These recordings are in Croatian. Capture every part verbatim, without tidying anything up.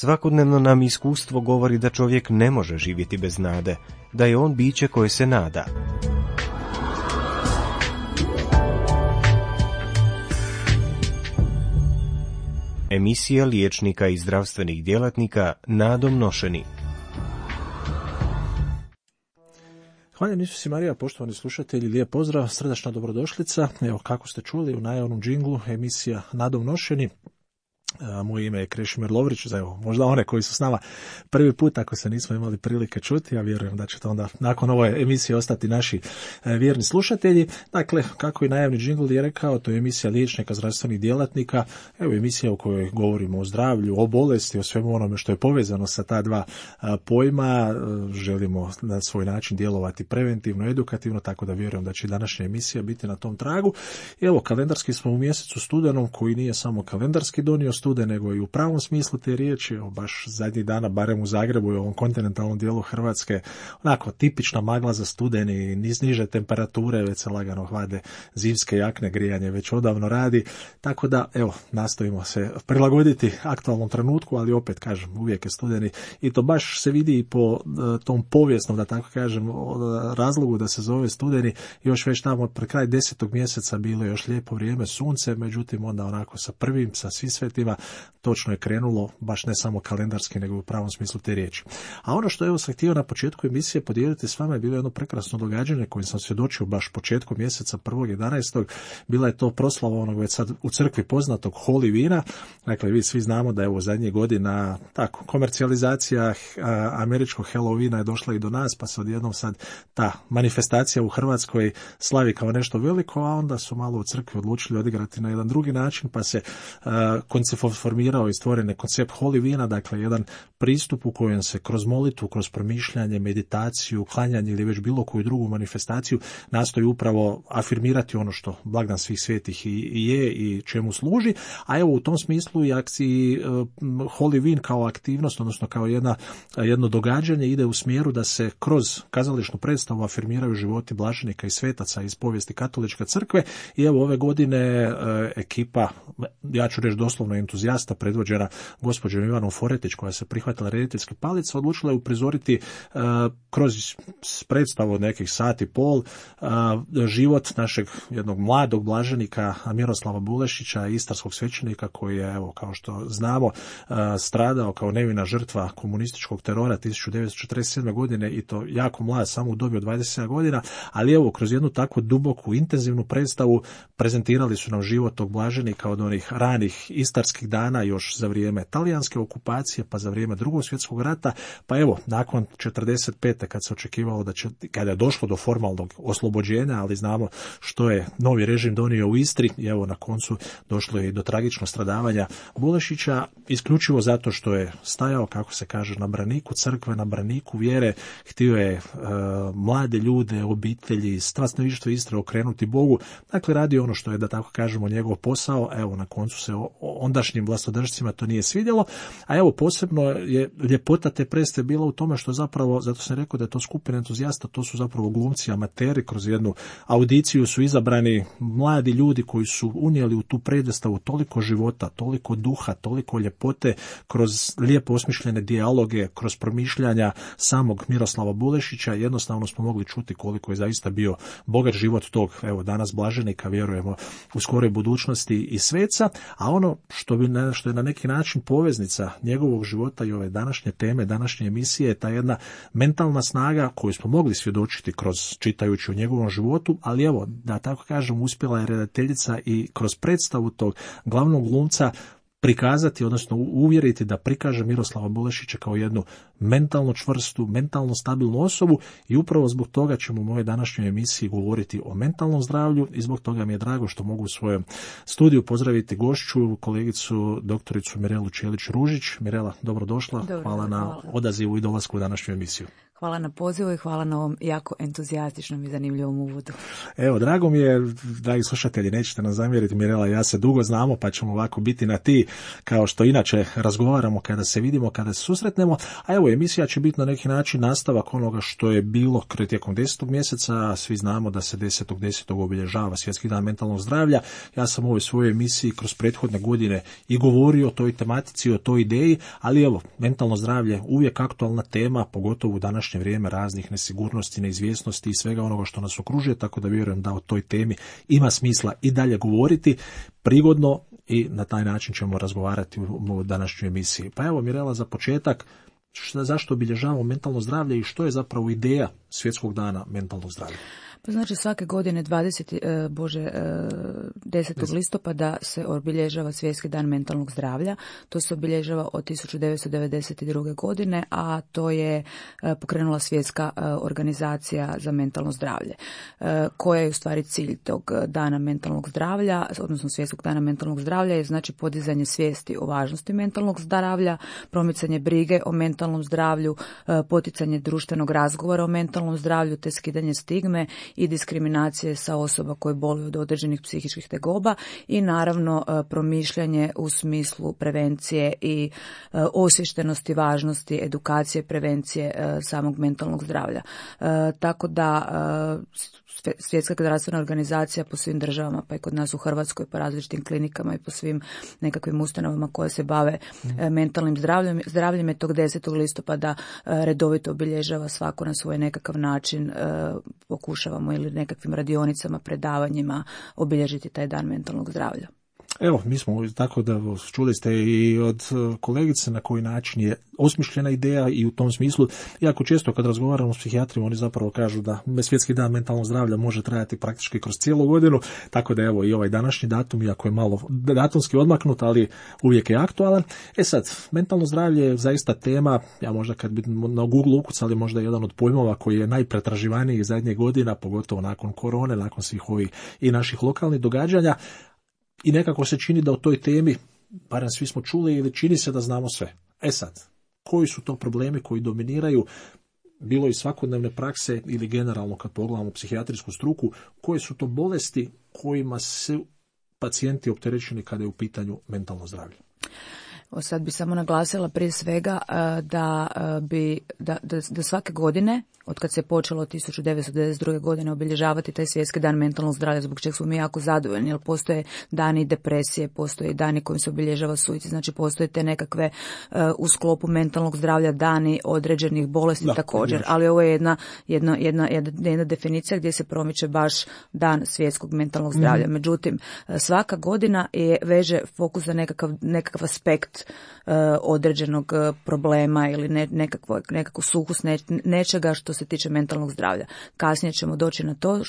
Svakodnevno nam iskustvo govori da čovjek ne može živjeti bez nade, da je on biće koje se nada. Emisija liječnika i zdravstvenih djelatnika nadom nošeni. Hvala Isusi Marija, poštovani slušatelji, lijep pozdrav, srdačna dobrodošlica. Evo, kako ste čuli u najavnom džinglu, emisija nadom nošeni. Moje ime je Krešimir Lovrić, za evo, možda one koji su s nama prvi put, ako se nismo imali prilike čuti, ja vjerujem da ćete onda nakon ove emisije ostati naši vjerni slušatelji. Dakle, kako i najavni džingl je rekao, to je emisija liječnika, zdravstvenih djelatnika, evo emisija u kojoj govorimo o zdravlju, o bolesti, o svemu onome što je povezano sa ta dva pojma. Želimo na svoj način djelovati preventivno, edukativno, tako da vjerujem da će današnja emisija biti na tom tragu. Evo, kalendarski smo u mjesecu studenom, koji nije samo kalendarski donio stude, nego i u pravom smislu te riječi. Evo, baš zadnjih dana, barem u Zagrebu i ovom kontinentalnom dijelu Hrvatske, onako tipična magla za studeni, niz niže temperature, već se lagano hlade zimske jakne, grijanje već odavno radi, tako da evo, nastojimo se prilagoditi aktualnom trenutku, ali opet kažem, uvijek je studeni i to baš se vidi i po tom povijesnom, da tako kažem, razlogu da se zove studeni. Još već tamo pre kraj desetog mjeseca bilo je još lijepo vrijeme, sunce, međutim onda onako sa prvim, sa svi svetima, točno je krenulo, baš ne samo kalendarski, nego u pravom smislu te riječi. A ono što evo sam htio na početku emisije podijeliti s vama je bilo jedno prekrasno događanje kojim sam svjedočio baš početkom mjeseca prvog jedanaestog. Bila je to proslava onog već sad u crkvi poznatog Holy vina. Dakle, vi svi znamo da je evo zadnjih godina tako, komercijalizacija američkog Halloweena je došla i do nas, pa se odjednom sad ta manifestacija u Hrvatskoj slavi kao nešto veliko, a onda su malo u crkvi odlučili odigrati na jedan drugi način, pa se uh, koncept formirao i stvoren je koncept Holy vina, dakle jedan pristup u kojem se kroz molitvu, kroz promišljanje, meditaciju, klanjanje ili već bilo koju drugu manifestaciju nastoji upravo afirmirati ono što blagdan svih svetih i je i čemu služi. A evo u tom smislu i akciji uh, Holy vin kao aktivnost, odnosno kao jedna, jedno događanje ide u smjeru da se kroz kazališnu predstavu afirmiraju životi blaženika i svetaca iz povijesti katoličke crkve. I evo ove godine uh, ekipa, ja ću reći doslovno entuzijasta, predvođena gospođom Ivanom Foretić, koja se prihvatila rediteljske palice, odlučila je uprizoriti uh, kroz predstavu od nekih sati pol uh, život našeg jednog mladog blaženika Miroslava Bulešića, istarskog svećenika, koji je, evo, kao što znamo, uh, stradao kao nevina žrtva komunističkog terora tisuću devetsto četrdeset sedme. godine i to jako mlad, samo u dobi od dvadeset sedam godina, ali evo, kroz jednu takvu duboku, intenzivnu predstavu prezentirali su nam život tog blaženika od onih ranih istarskih dana još za vrijeme talijanske okupacije, pa za vrijeme Drugog svjetskog rata, pa evo, nakon četrdeset pete kad se očekivalo da će, kada je došlo do formalnog oslobođenja, ali znamo što je novi režim donio u Istri, i evo na koncu došlo je i do tragičnog stradavanja Bulešića, isključivo zato što je stajao, kako se kaže, na braniku crkve, na braniku vjere, htio je uh, mlade ljude, obitelji, stanovništvo Istre okrenuti Bogu, dakle radi ono što je, da tako kažemo, njegov posao. Evo, na koncu se ondašnjim vlastodržcima to nije svidjelo, a evo posebno je ljepota te predstave bila u tome što zapravo, zato sam rekao da je to skupina entuzijasta, to su zapravo glumci, amateri, kroz jednu audiciju su izabrani mladi ljudi koji su unijeli u tu predstavu toliko života, toliko duha, toliko ljepote, kroz lijepo osmišljene dijaloge, kroz promišljanja samog Miroslava Bulešića, jednostavno smo mogli čuti koliko je zaista bio bogat život tog, evo danas blaženika, vjerujemo u skoroj budućnosti i sveca, a ono što, bi, što je na neki način poveznica njegovog života i ove današnje teme, današnje emisije je ta jedna mentalna snaga koju smo mogli svjedočiti kroz čitajući o njegovom životu, ali evo, da tako kažem, uspjela je redateljica i kroz predstavu tog glavnog glumca prikazati, odnosno uvjeriti da prikaže Miroslava Bulešića kao jednu mentalno čvrstu, mentalno stabilnu osobu i upravo zbog toga ćemo u mojoj današnjoj emisiji govoriti o mentalnom zdravlju i zbog toga mi je drago što mogu u svojem studiju pozdraviti gošću, kolegicu doktoricu Mirelu Čelić-Ružić. Mirela, dobrodošla. Dobro, hvala na hvala. odazivu i dolasku u današnju emisiju. Hvala na pozivu i hvala na ovom jako entuzijastičnom i zanimljivom uvodu. Evo, drago mi je, dragi slušatelji, nećete nam zamjeriti, Mirela i ja se dugo znamo, pa ćemo ovako biti na ti, kao što inače razgovaramo kada se vidimo, kada se susretnemo. A evo, emisija će biti na neki način nastavak onoga što je bilo tijekom desetog mjeseca. Svi znamo da se desetog desetog obilježava Svjetski dan mentalnog zdravlja. Ja sam u ovoj svojoj emisiji kroz prethodne godine i govorio o toj tematici, o toj ideji, ali evo, mentalno zdravlje uvijek aktualna tema, pogotovo u današnje vrijeme raznih nesigurnosti, neizvjesnosti i svega onoga što nas okružuje, tako da vjerujem da o toj temi ima smisla i dalje govoriti prigodno i na taj način ćemo razgovarati u današnjoj emisiji. Pa evo, Mirela, za početak, šta, zašto obilježavamo mentalno zdravlje i što je zapravo ideja Svjetskog dana mentalnog zdravlja? Pa znači svake godine dvadesetog Bože, desetog listopada se obilježava Svjetski dan mentalnog zdravlja. To se obilježava od tisuću devetsto devedeset druge. godine, a to je pokrenula Svjetska organizacija za mentalno zdravlje. Koja je u stvari cilj tog dana mentalnog zdravlja, odnosno Svjetskog dana mentalnog zdravlja, je znači podizanje svijesti o važnosti mentalnog zdravlja, promicanje brige o mentalnom zdravlju, poticanje društvenog razgovora o mentalnom zdravlju te skidanje stigme i diskriminacije sa osoba koje boluju od određenih psihičkih tegoba i naravno promišljanje u smislu prevencije i osviještenosti važnosti edukacije, prevencije samog mentalnog zdravlja. Tako da Svjetska zdravstvena organizacija po svim državama, pa i kod nas u Hrvatskoj, po različitim klinikama i po svim nekakvim ustanovama koje se bave mm. mentalnim zdravljem, zdravljem je tog desetog listopada redovito obilježava, svako na svoj nekakav način pokušavamo ili nekakvim radionicama, predavanjima obilježiti taj dan mentalnog zdravlja. Evo, mi smo tako da čuli ste i od kolegice na koji način je osmišljena ideja i u tom smislu, jako često kad razgovaramo s psihijatrima, oni zapravo kažu da Svjetski dan mentalnog zdravlja može trajati praktički kroz cijelu godinu, tako da evo i ovaj današnji datum, iako je malo datumski odmaknut, ali uvijek je aktualan. E sad, mentalno zdravlje je zaista tema, ja možda kad bi na Google ukucali možda jedan od pojmova koji je najpretraživaniji zadnjih godina, pogotovo nakon korone, nakon svih ovih i naših lokalnih događanja. I nekako se čini da o toj temi, barem svi smo čuli ili čini se da znamo sve. E sad, koji su to problemi koji dominiraju, bilo i svakodnevne prakse ili generalno kad pogledamo psihijatrijsku struku, koje su to bolesti kojima su pacijenti opterećeni kada je u pitanju mentalno zdravlje? O, sad bi samo naglasila prije svega da, bi, da, da, da svake godine, od kad se počelo od tisuću devetsto devedeset druge. godine obilježavati taj Svjetski dan mentalnog zdravlja, zbog čega smo mi jako zadovoljni, jer postoje dani depresije, postoje dani kojim se obilježava suicid, znači postoje te nekakve uh, u sklopu mentalnog zdravlja dani određenih bolesti da, također, znači. Ali ovo je jedna, jedna, jedna, jedna definicija gdje se promiče baš dan svjetskog mentalnog zdravlja. Mm. Međutim, svaka godina je veže fokus za nekakav, nekakav aspekt uh, određenog problema ili ne, nekakvo, nekakvu sukus ne, nečega što se tiče mentalnog zdravlja. Kasnije ćemo doći na to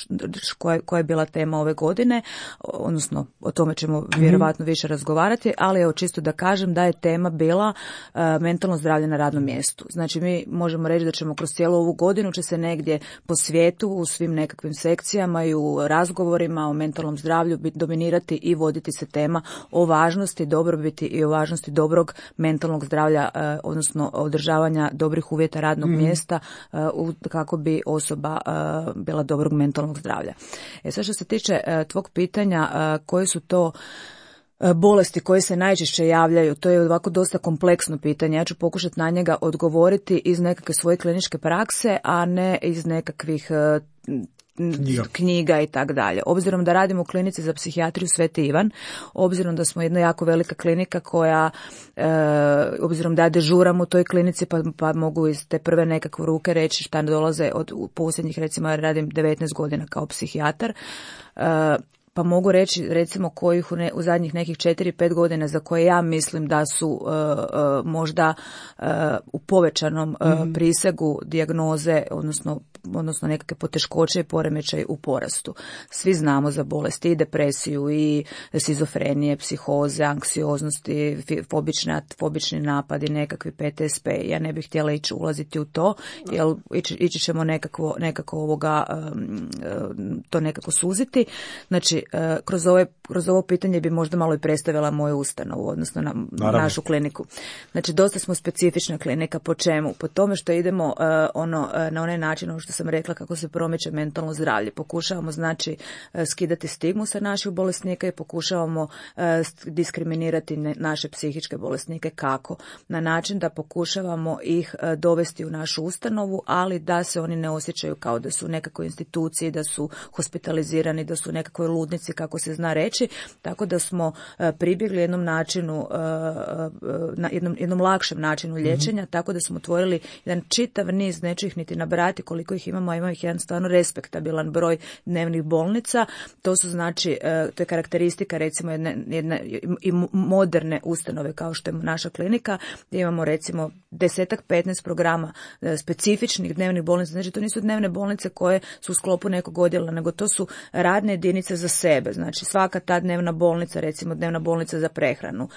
koja, koja je bila tema ove godine, odnosno o tome ćemo vjerovatno više razgovarati, ali evo čisto da kažem da je tema bila uh, mentalno zdravlje na radnom mjestu. Znači mi možemo reći da ćemo kroz cijelu ovu godinu će se negdje po svijetu u svim nekakvim sekcijama i u razgovorima o mentalnom zdravlju dominirati i voditi se tema o važnosti dobrobiti i o važnosti dobrog mentalnog zdravlja, uh, odnosno održavanja dobrih uvjeta radnog mm. mjesta uh, u, kako bi osoba uh, bila dobrog mentalnog zdravlja. E sad što se tiče uh, tvog pitanja, uh, koje su to bolesti koje se najčešće javljaju, to je ovako dosta kompleksno pitanje. Ja ću pokušati na njega odgovoriti iz nekakve svoje kliničke prakse, a ne iz nekakvih uh, knjiga, knjiga i tak dalje. Obzirom da radimo u klinici za psihijatriju Sveti Ivan, obzirom da smo jedna jako velika klinika koja, e, obzirom da ja dežuram u toj klinici, pa, pa mogu iz te prve nekakve ruke reći šta dolaze od posljednjih, recimo ja radim devetnaest godina kao psihijatar, e, pa mogu reći recimo kojih u, ne, u zadnjih nekih četiri pet godina za koje ja mislim da su uh, uh, možda uh, u povećanom uh, mm. prisegu dijagnoze, odnosno odnosno nekakve poteškoće i poremećaj u porastu. Svi znamo za bolesti i depresiju i šizofrenije, psihoze, anksioznosti, fobične, fobični napadi, nekakvi P T S P. Ja ne bih htjela ići ulaziti u to, jer ići, ići ćemo nekako, nekako ovoga, um, to nekako suziti. Znači, znači kroz, ove, kroz ovo pitanje bi možda malo i predstavila moju ustanovu, odnosno na, našu kliniku. Znači dosta smo specifična klinika. Po čemu? Po tome što idemo uh, ono, uh, na onaj način, ono što sam rekla, kako se promiče mentalno zdravlje. Pokušavamo znači uh, skidati stigmu sa naših bolesnika i pokušavamo uh, diskriminirati ne, naše psihičke bolesnike. Kako? Na način da pokušavamo ih uh, dovesti u našu ustanovu, ali da se oni ne osjećaju kao da su u nekakvoj instituciji, da su hospitalizirani, da su u nekakvoj ludnici, kako se zna reći. Tako da smo uh, pribjegli jednom načinu, uh, uh, na jednom, jednom lakšem načinu liječenja, mm-hmm. tako da smo otvorili jedan čitav niz, neću ih niti nabrati koliko ih imamo, a ima ih jedan stvarno respektabilan broj dnevnih bolnica. To su znači, to je karakteristika recimo jedne, jedne i moderne ustanove kao što je naša klinika, gdje imamo recimo desetak, petnaest programa specifičnih dnevnih bolnica. Znači to nisu dnevne bolnice koje su u sklopu nekog odjela, nego to su radne jedinice za sebe. Znači svaka ta dnevna bolnica, recimo dnevna bolnica za prehranu,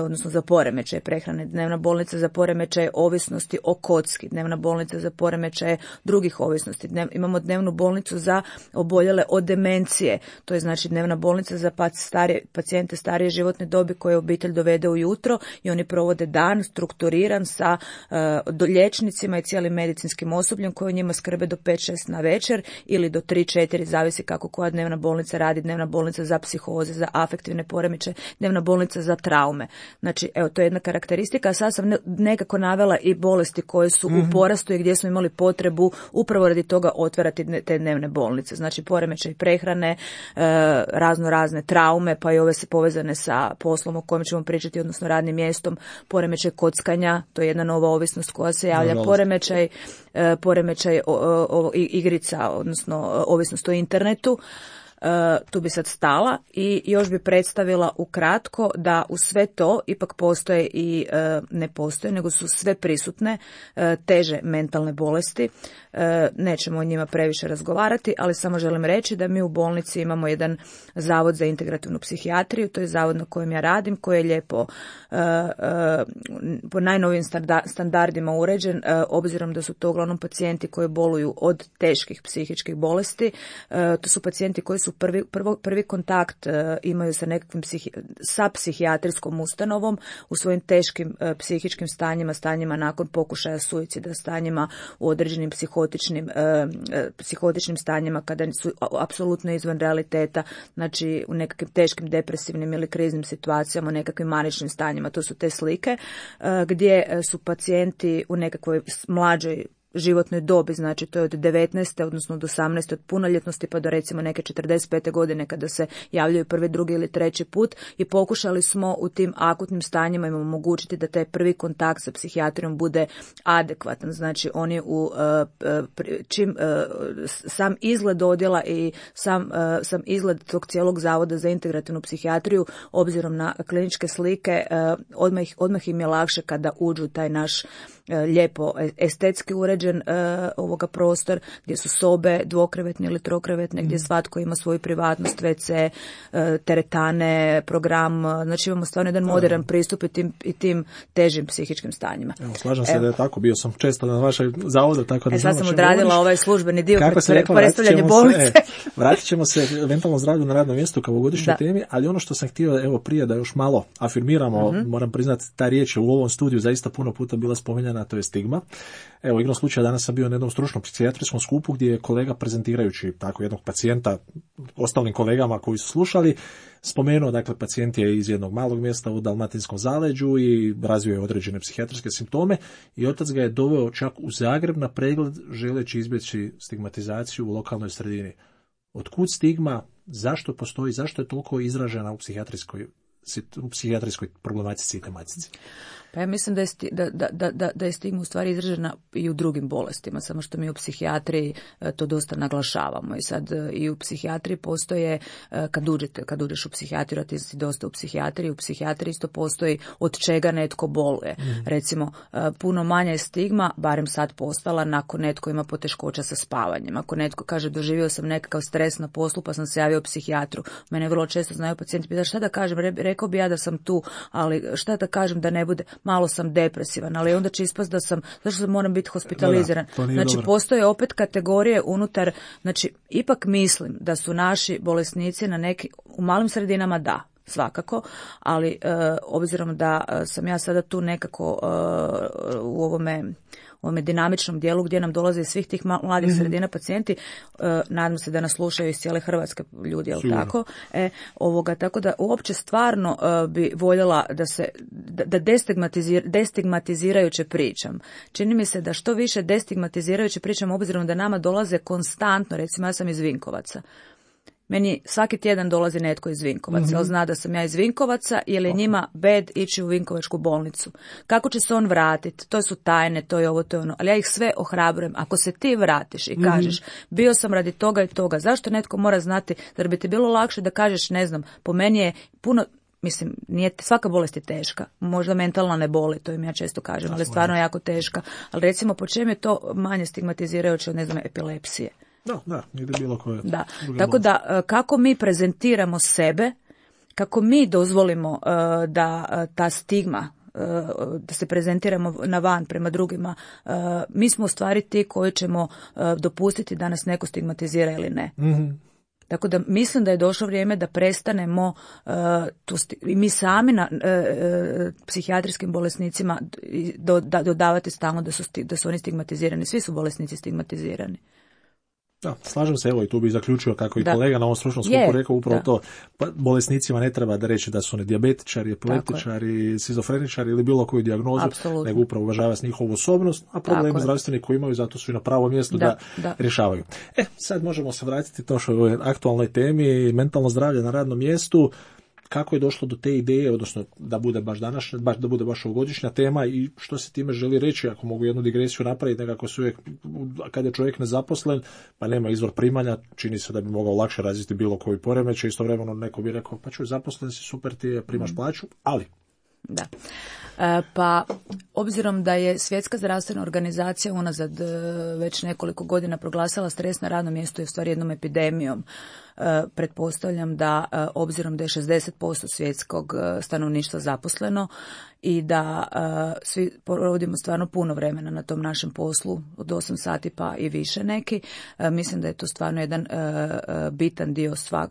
odnosno za poremećaj prehrane, dnevna bolnica za poremećaj ovisnosti o kocki, dnevna bolnica za poremećaje drugih ovisnosti. Dnev, imamo dnevnu bolnicu za oboljele od demencije, to je znači dnevna bolnica za starije, pacijente starije životne dobi koje obitelj dovede ujutro i oni provode dan strukturiran sa uh, do liječnicima i cijelim medicinskim osobljem koji o njima skrbe do pet šest na večer ili do tri četiri, zavisi kako koja dnevna bolnica radi, dnevna bolnica za psihoze, za afektivne poremećaje, dnevna bolnica za traume. Znači, evo, to je jedna karakteristika, a sad sam nekako navela i bolesti koje su mm-hmm. u porastu i gdje smo imali potrebu upravo radi toga otvarati te dnevne bolnice. Znači, poremećaj prehrane, razno razne traume, pa i ove se povezane sa poslom o kojem ćemo pričati, odnosno radnim mjestom, poremećaj kockanja, to je jedna nova ovisnost koja se javlja, no, poremećaj, poremećaj o, o, o, igrica, odnosno ovisnost o internetu. Uh, tu bi sad stala i još bi predstavila ukratko da u sve to ipak postoje i uh, ne postoje, nego su sve prisutne uh, teže mentalne bolesti. Uh, nećemo o njima previše razgovarati, ali samo želim reći da mi u bolnici imamo jedan zavod za integrativnu psihijatriju, to je zavod na kojem ja radim, koji je lijepo uh, uh, po najnovijim standardima uređen, uh, obzirom da su to uglavnom pacijenti koji boluju od teških psihičkih bolesti. Uh, to su pacijenti koji su Prvi, prvo, prvi kontakt uh, imaju sa nekakvim psihi, sa psihijatrijskom ustanovom u svojim teškim uh, psihičkim stanjima, stanjima nakon pokušaja suicida, stanjima u određenim psihotičnim, uh, uh, psihotičnim stanjima kada su apsolutno izvan realiteta, znači u nekakvim teškim depresivnim ili kriznim situacijama, u nekakvim maničnim stanjima. To su te slike uh, gdje su pacijenti u nekakvoj mlađoj životnoj dobi, znači to je od devetnaeste, odnosno od osamnaeste, od punoljetnosti pa do recimo neke četrdeset pete godine kada se javljaju prvi, drugi ili treći put i pokušali smo u tim akutnim stanjima im omogućiti da taj prvi kontakt sa psihijatrijom bude adekvatan. Znači oni u čim sam izgled odjela i sam, sam izgled tog cijelog zavoda za integrativnu psihijatriju obzirom na kliničke slike odmah, odmah im je lakše kada uđu u taj naš lijepo estetski uređen uh, ovoga prostor gdje su sobe dvokrevetne ili trokrevetne, gdje svatko ima svoju privatnost, ve ce, uh, teretane, program, znači imamo stvarno jedan modern pristup i tim, i tim težim psihičkim stanjima. Evo, slažem se Evo. da je tako, bio sam često na vašoj zavodu, tako da e, sad sam odradila govoriš. Ovaj službeni dio predstavljanje bolnice. E, vratit ćemo se mentalnom zdravlju na radnom mjestu kao ovogodišnjoj temi, ali ono što sam htio, evo prije da još malo afirmiramo, mm-hmm. moram priznati, ta riječ je u ovom studiju zaista puno puta bila spominjana, to je stigma. Evo, igrom slučaja danas sam bio na jednom stručnom psihijatrijskom skupu gdje je kolega prezentirajući tako jednog pacijenta ostalim kolegama koji su slušali, spomenuo, dakle, pacijent je iz jednog malog mjesta u dalmatinskom zaleđu i razvio je određene psihijatrijske simptome i otac ga je doveo čak u Zagreb na pregled želeći izbjeći stigmatizaciju u lokalnoj sredini. Otkud stigma, zašto postoji, zašto je toliko izražena u psihijatrijskoj, u psihijatrijskoj problematici i tematici? Pa ja mislim da je, sti, da, da, da, da je stigma u stvari izražena i u drugim bolestima, samo što mi u psihijatriji to dosta naglašavamo. I sad i u psihijatriji postoje, kad uđete, kad uđeš u psihijatriju, a ti si dosta u psihijatriji, u psihijatriji isto postoji od čega netko boluje. Mm. Recimo, puno manja je stigma, barem sad postala, nakon netko ima poteškoća sa spavanjem. Ako netko kaže doživio sam nekakav stres na poslu pa sam se javio psihijatru. Mene vrlo često znaju pacijenti pitati šta da kažem, rekao bi ja da sam tu, ali šta da kažem da ne bude. malo sam depresivan, ali onda će ispast da sam, zašto moram biti hospitaliziran. Da, da, znači, dobro. postoje opet kategorije unutar, znači, ipak mislim da su naši bolesnici na neki, u malim sredinama da, svakako, ali e, obzirom da sam ja sada tu nekako e, u ovome u ovome dinamičnom dijelu gdje nam dolaze iz svih tih mladih mm-hmm. sredina pacijenti, e, nadam se da nas slušaju iz cijele Hrvatske ljudi, jel tako? E, ovoga, tako da uopće stvarno e, bi voljela da se da, da destigmatizir, destigmatizirajuće pričam. Čini mi se da što više destigmatizirajuće pričam obzirom da nama dolaze konstantno, recimo ja sam iz Vinkovaca. Meni svaki tjedan dolazi netko iz Vinkovaca, mm-hmm. ali zna da sam ja iz Vinkovaca ili je njima bed ići u Vinkovačku bolnicu. Kako će se on vratiti? To su tajne, to je ovo, to je ono. Ali ja ih sve ohrabrujem. Ako se ti vratiš i kažeš, mm-hmm. bio sam radi toga i toga, zašto netko mora znati, zar bi ti bilo lakše da kažeš, ne znam, po meni je puno, mislim, nije, svaka bolest je teška, možda mentalna ne boli, to im ja često kažem, ali stvarno je jako teška. Ali recimo, po čem je to manje stigmatizirajuće od, ne znam, epilepsije? Da, da, ili bilo koje. Da, tako da kako mi prezentiramo sebe, kako mi dozvolimo uh, da uh, ta stigma, uh, da se prezentiramo na van prema drugima, uh, mi smo u stvari ti koji ćemo uh, dopustiti da nas neko stigmatizira ili ne. Mm-hmm. Tako da mislim da je došlo vrijeme da prestanemo uh, tu sti- i mi sami na uh, uh, psihijatrijskim bolesnicima do, da, dodavati stalno da su, sti- da su oni stigmatizirani. Svi su bolesnici stigmatizirani. Da, slažem se, evo i tu bi zaključio kako i da. kolega na ovom stručnom skupu rekao upravo da. to. Pa, bolesnicima ne treba da reći da su oni dijabetičari, epileptičari, šizofreničari ili bilo koju dijagnozu, Apsolutno. nego upravo uvažava s njihovu osobnost, a problemi zdravstveni koji imaju, zato su i na pravom mjestu da, da, da rješavaju. E, sad možemo se vratiti to što je ovoj aktualnoj temi, mentalno zdravlje na radnom mjestu. Kako je došlo do te ideje, odnosno da bude baš današnja, baš da bude baš ovogodišnja tema i što se time želi reći, ako mogu jednu digresiju napraviti, nekako se uvijek, kad je čovjek nezaposlen, pa nema izvor primanja, čini se da bi mogao lakše razviti bilo koji poremećaj, istovremeno neko bi rekao, pa čuj, zaposlen si, super ti je, primaš plaću, ali... Da. E, pa, obzirom da je Svjetska zdravstvena organizacija unazad e, već nekoliko godina proglasila stres na radnom mjestu i u stvari jednom epidemijom, e, pretpostavljam da, e, obzirom da je šezdeset posto svjetskog e, stanovništva zaposleno i da e, svi provodimo stvarno puno vremena na tom našem poslu, od osam sati pa i više neki, e, mislim da je to stvarno jedan e, e, bitan dio svak,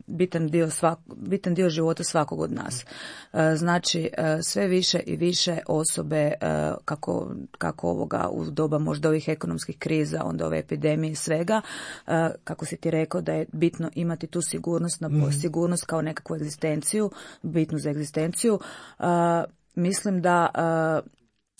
bitan dio svak, bitan dio života svakog od nas. E, znači, e, sve više i više osobe, e, kako, kako ovoga u doba možda ovih ekonomskih kriza, onda ove epidemije i svega, e, kako si ti rekao da je bitno imati tu sigurnost, na, mm. sigurnost kao nekakvu egzistenciju, bitnu za egzistenciju. E, mislim da e,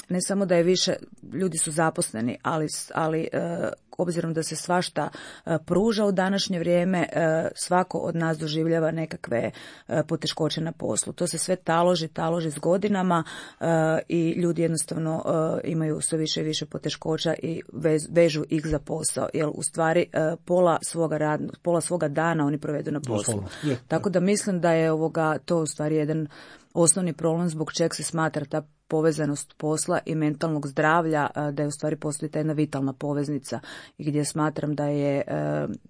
ne samo da je više, ljudi su zaposleni, ali, ali e, obzirom da se svašta e, pruža u današnje vrijeme, e, svako od nas doživljava nekakve e, poteškoće na poslu. To se sve taloži, taloži s godinama e, i ljudi jednostavno e, imaju sve više i više poteškoća i vez, vežu ih za posao, jer u stvari e, pola svoga radnog, pola svoga dana oni provedu na poslu. Je, Tako da mislim da je ovoga to u stvari jedan osnovni problem zbog čeg se smatra ta povezanost posla i mentalnog zdravlja, da je u stvari postoji ta jedna vitalna poveznica i gdje smatram da je e,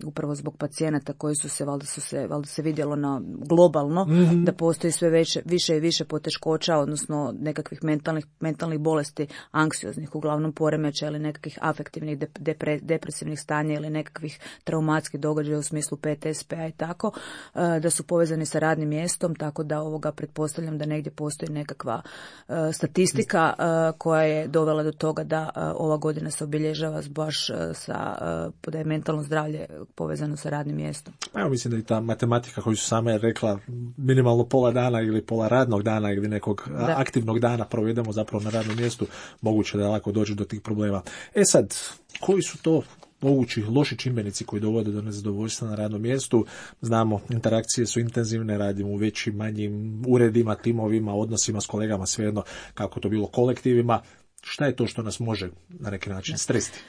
upravo zbog pacijenata koji su se, valjda su se, valjda se vidjelo na globalno, mm-hmm. da postoji sve veće, više i više poteškoća, odnosno nekakvih mentalnih, mentalnih bolesti, anksioznih, uglavnom poremeća ili nekakvih afektivnih depre, depresivnih stanja ili nekakvih traumatskih događaja u smislu P T S P-a i tako, e, da su povezani sa radnim mjestom, tako da ovoga pretpostavljam da negdje postoji nekakva e, statistika uh, koja je dovela do toga da uh, ova godina se obilježava baš uh, sa uh, da je mentalno zdravlje povezano sa radnim mjestom. Evo, mislim da i ta matematika koju su same rekla, minimalno pola dana ili pola radnog dana ili nekog da. aktivnog dana provedemo zapravo na radnom mjestu, moguće da lako dođe do tih problema. E sad, koji su to mogući loši čimbenici koji dovode do nezadovoljstva na radnom mjestu? Znamo, interakcije su intenzivne, radimo u većim, manjim uredima, timovima, odnosima s kolegama, svejedno kako to bilo kolektivima. Šta je to što nas može na neki način stresiti?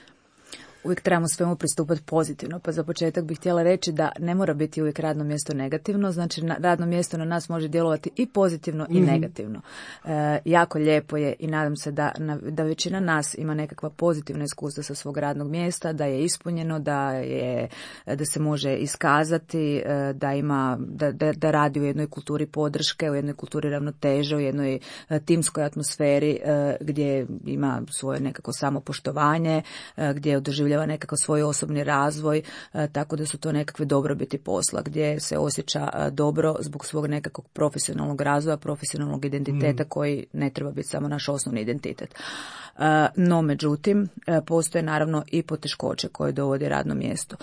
uvijek trebamo svemu pristupati pozitivno. Pa za početak bih htjela reći da ne mora biti uvijek radno mjesto negativno, znači radno mjesto na nas može djelovati i pozitivno i negativno. E, jako lijepo je i nadam se da, da većina nas ima nekakva pozitivna iskustva sa svog radnog mjesta, da je ispunjeno, da, je, da se može iskazati, da, ima, da, da, da radi u jednoj kulturi podrške, u jednoj kulturi ravnoteže, u jednoj timskoj atmosferi gdje ima svoje nekako samopoštovanje, gdje doživljava nekako svoj osobni razvoj, tako da su to nekakve dobrobiti posla, gdje se osjeća dobro zbog svog nekakvog profesionalnog razvoja, profesionalnog identiteta mm. koji ne treba biti samo naš osnovni identitet. No, međutim, postoje naravno i poteškoće koje dovodi radno mjesto.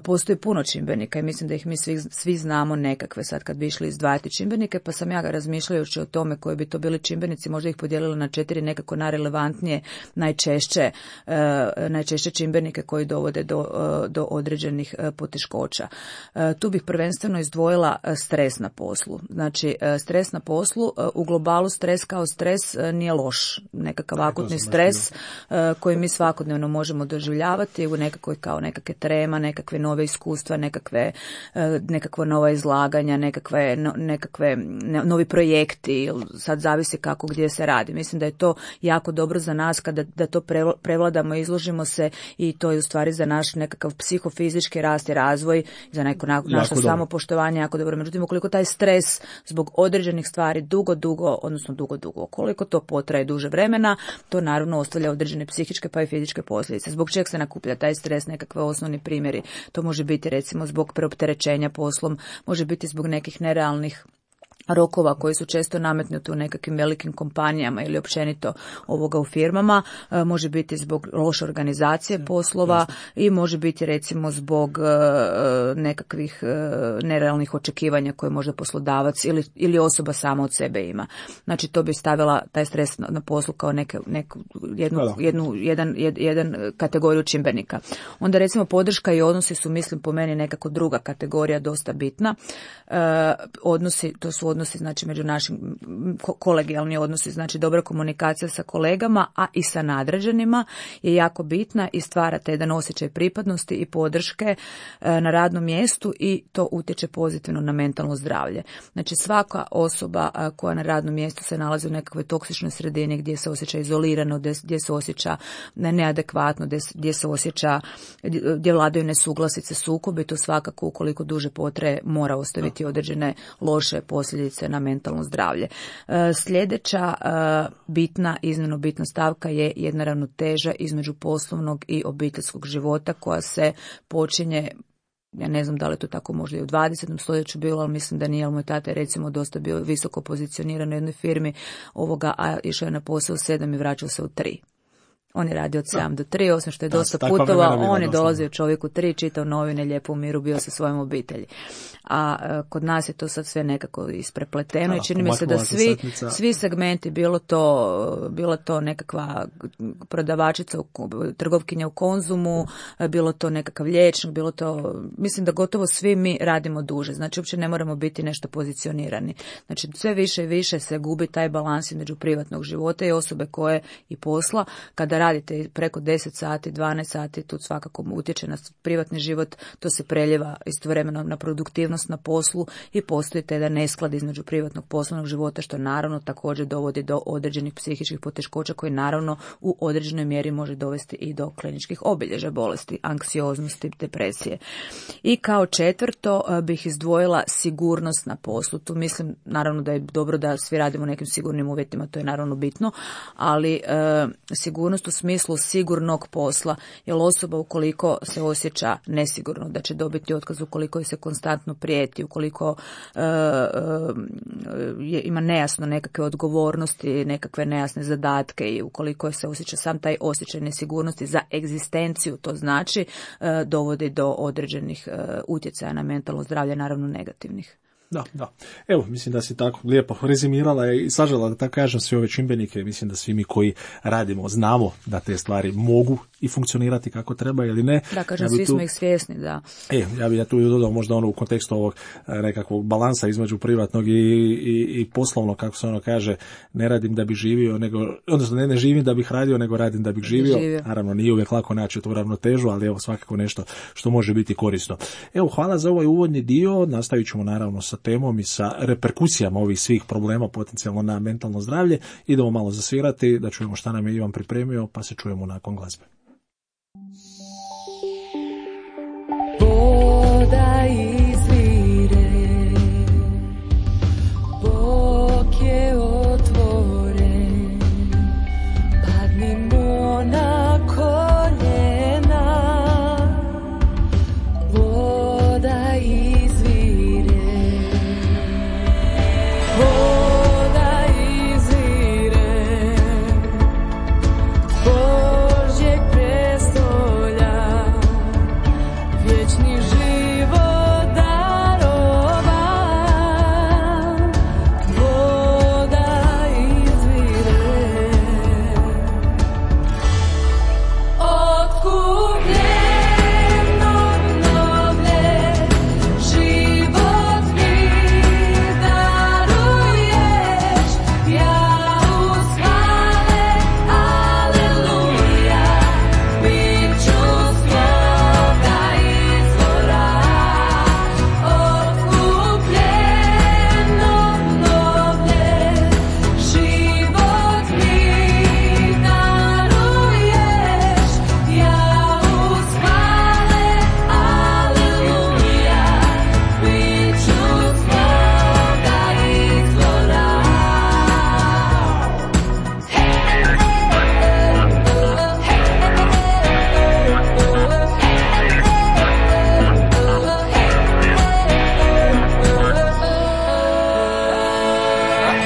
Postoji puno čimbenika i mislim da ih mi svi, svi znamo nekakve sad kad bi išli izdvajati čimbenike, pa sam ja ga razmišljajući o tome koji bi to bili čimbenici, možda ih podijelila na četiri nekako najrelevantnije, najčešće, najčešće čimbenike koji dovode do, do određenih poteškoća. Tu bih prvenstveno izdvojila stres na poslu. Znači, stres na poslu, u globalu stres kao stres nije loš, nekakav akutni stres stres koji mi svakodnevno možemo doživljavati u nekakvoj kao nekakve trema, nekakve nove iskustva, nekakve, nekakva nova izlaganja, nekakve, nekakve novi projekti, sad zavisi kako gdje se radi. Mislim da je to jako dobro za nas kada da to prevladamo, izložimo se i to je u stvari za naš nekakav psihofizički rast i razvoj, za neko naše samopoštovanje jako dobro. Međutim, ukoliko taj stres zbog određenih stvari dugo, dugo, odnosno dugo, dugo, koliko to potraje duže vremena, to naravno ostavlja određene psihičke pa i fizičke posljedice. Zbog čeg se nakuplja taj stres, nekakve osnovni primjeri. To može biti recimo zbog preopterećenja poslom, može biti zbog nekih nerealnih rokova koji su često nametnuti u nekakvim velikim kompanijama ili općenito ovoga u firmama, može biti zbog loše organizacije poslova i može biti recimo zbog nekakvih nerealnih očekivanja koje možda poslodavac ili, ili osoba sama od sebe ima. Znači to bi stavila taj stres na poslu kao neke, neku, jednu, jednu, jedan, jed, jedan kategoriju čimbenika. Onda recimo podrška i odnosi su, mislim, po meni nekako druga kategorija dosta bitna. Odnosi, to su odnosi znači među našim kolegijalni odnosi, znači dobra komunikacija sa kolegama, a i sa nadređenima je jako bitna i stvara te jedan osjećaj pripadnosti i podrške na radnom mjestu i to utječe pozitivno na mentalno zdravlje. Znači svaka osoba koja na radnom mjestu se nalazi u nekakvoj toksičnoj sredini gdje se osjeća izolirano, gdje se osjeća neadekvatno, gdje se osjeća, gdje vladaju nesuglasice, sukobi, to svakako ukoliko duže potraje mora ostaviti određene loše posljedice na mentalno zdravlje. Sljedeća bitna, iznimno bitna stavka je jedna ravnoteža između poslovnog i obiteljskog života koja se počinje, ja ne znam da li to tako možda i u dvadesetom stoljeću bilo, ali mislim da nije, ali moj tata je recimo dosta bio visoko pozicioniran u jednoj firmi ovoga, a išao je na posao u sedam i vraćao se u tri. On je radio od sedam do tri, osim što je da, dosta putovao, on je dolazio čovjek u tri, čitao novine, lijepo u miru, bio sa svojom obitelji. A e, kod nas je to sad sve nekako isprepleteno i čini mi se da svi, svi segmenti, bilo to, bilo to nekakva prodavačica, trgovkinja u Konzumu, bilo to nekakav liječnik, bilo to, mislim da gotovo svi mi radimo duže, znači uopće ne moramo biti nešto pozicionirani. Znači sve više i više se gubi taj balans između privatnog života i osobe koje i posla, kada radite preko deset sati, dvanaest sati, tu svakako utječe na privatni život, to se preljeva istovremeno na produktivnost na poslu i postoji te da nesklad između privatnog poslovnog života, što naravno također dovodi do određenih psihičkih poteškoća koji naravno u određenoj mjeri može dovesti i do kliničkih obilježja bolesti, anksioznosti, depresije. I kao četvrto bih izdvojila sigurnost na poslu. Tu mislim naravno da je dobro da svi radimo u nekim sigurnim uvjetima, to je naravno bitno, ali e, sigurnost u smislu sigurnog posla, jer osoba ukoliko se osjeća nesigurno da će dobiti otkaz, ukoliko se konstantno prijeti, ukoliko e, je, ima nejasno nekakve odgovornosti, nekakve nejasne zadatke i ukoliko se osjeća sam taj osjećaj nesigurnosti za egzistenciju, to znači e, dovodi do određenih e, utjecaja na mentalno zdravlje, naravno negativnih. Da, da. Evo, mislim da si tako lijepo rezimirala i sažela, da tako kažem, sve ove čimbenike. Mislim da svi mi koji radimo znamo da te stvari mogu i funkcionirati kako treba ili ne. Da, kažem, ja svi tu, smo ih svjesni, da. E, ja bih ja tu dodao možda ono u kontekstu ovog nekakvog balansa između privatnog i, i, i poslovnog, kako se ono kaže, ne radim da bih živio, nego, odnosno ne, ne živim da bih radio, nego radim da bih živio. živio. Naravno, nije uvijek lako naći tu ravnotežu, ali evo svakako nešto što može biti korisno. Evo, hvala za ovaj uvodni dio, nastavit ćemo naravno sa temom i sa reperkusijama ovih svih problema potencijalno na mentalno zdravlje. Idemo malo zasvirati, da čujemo šta nam je Ivan pripremio, pa se čujemo nakon glazbe. Voda izvire, Bog je otvoren, padnimo na koljena. Voda izvire, voda izvire, Božjeg prestolja, vječni život darova. Voda izvire, otkupljeno obnovlje, život mi daruješ, ja uz hvale, aleluja, bit ću svoga izvora. Otkupljeno obnovlje, život mi daruješ, ja uz hvale, aleluja, bit ću svoga izvora.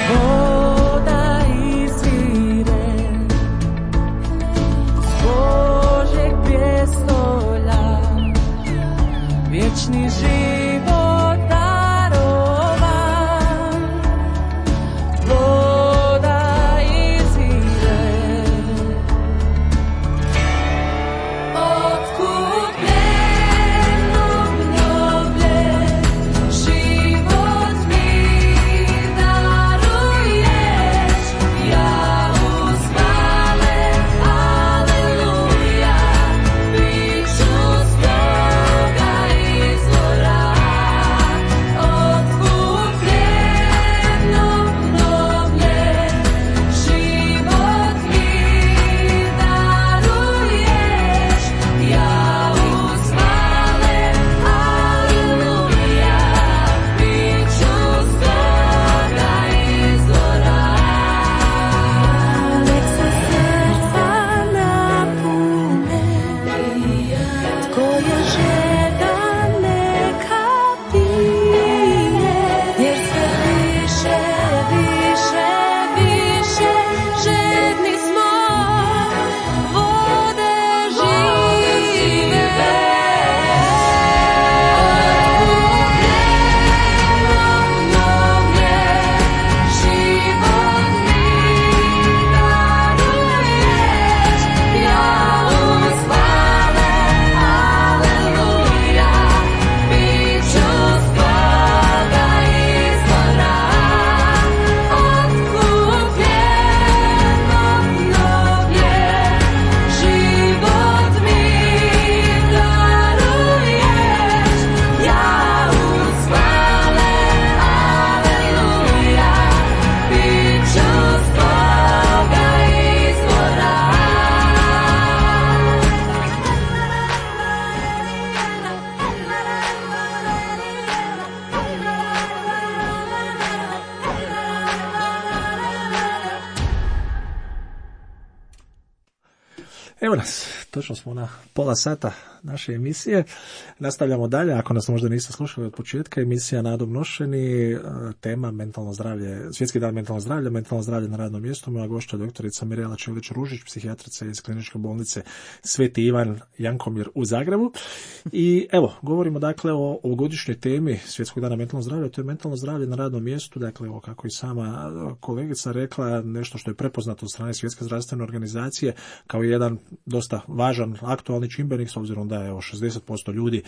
Voda izvire, s Božjeg prijestolja, vječni život darova. Voda izvire, otkupljeno obnovlje, život mi daruješ, ja uz hvale, aleluja, bit ću svoga izvora. Otkupljeno obnovlje, život mi daruješ, ja uz hvale, aleluja, bit ću svoga izvora. Nek se srca napune, tko je žedan neka pije, jer sve više, više, više žedni smo vode žive. Otkupljeno obnovlje, život mi daruješ, ja uz hvale, aleluja, bit ću svoga izvora. Otkupljeno obnovlje, život mi daruješ, ja uz hvale, aleluja, bit ću svoga izvora. Evo nas, točno smo na pola sata naše emisije. Nastavljamo dalje, ako nas možda niste slušali od početka, emisija Nadom nošeni, tema mentalno zdravlje, Svjetski dan mentalnog zdravlja, mentalno zdravlje na radnom mjestu. Moja gošća doktorica Mirela Čelić-Ružić, psihijatrica iz Kliničke bolnice Sveti Ivan Jankomir u Zagrebu. I evo, govorimo dakle o ovogodišnjoj temi Svjetskog dana mentalnog zdravlja, to je mentalno zdravlje na radnom mjestu, dakle evo, kako i sama kolegica rekla, nešto što je prepoznato od strane Svjetske zdravstvene organizacije kao jedan dosta važan aktualni čimbenik, s obzirom da je evo šezdeset posto ljudi